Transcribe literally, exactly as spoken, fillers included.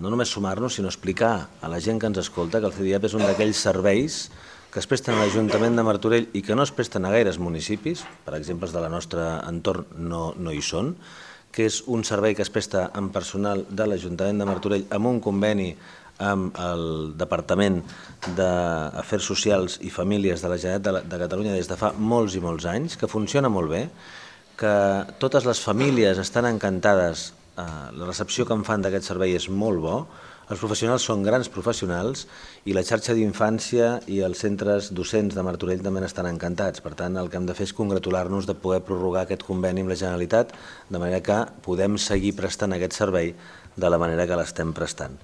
no només sumar-nos, sinó explicar a la gent que ens escolta que el C D I A P és un d'aquells serveis que es presten a l'Ajuntament de Martorell i que no es presten a gaires municipis, per exemple, els de la nostra entorn no, no hi són, que és un servei que es presta amb personal de l'Ajuntament de Martorell amb un conveni amb el Departament d'Afers Socials i Famílies de la Generalitat de Catalunya des de fa molts i molts anys, que funciona molt bé, que totes les famílies estan encantades, la recepció que en fan d'aquest servei és molt bo, els professionals són grans professionals i la xarxa d'infància i els centres docents de Martorell també n'estan encantats. Per tant, el que hem de fer és congratular-nos de poder prorrogar aquest conveni amb la Generalitat de manera que podem seguir prestant aquest servei de la manera que l'estem prestant.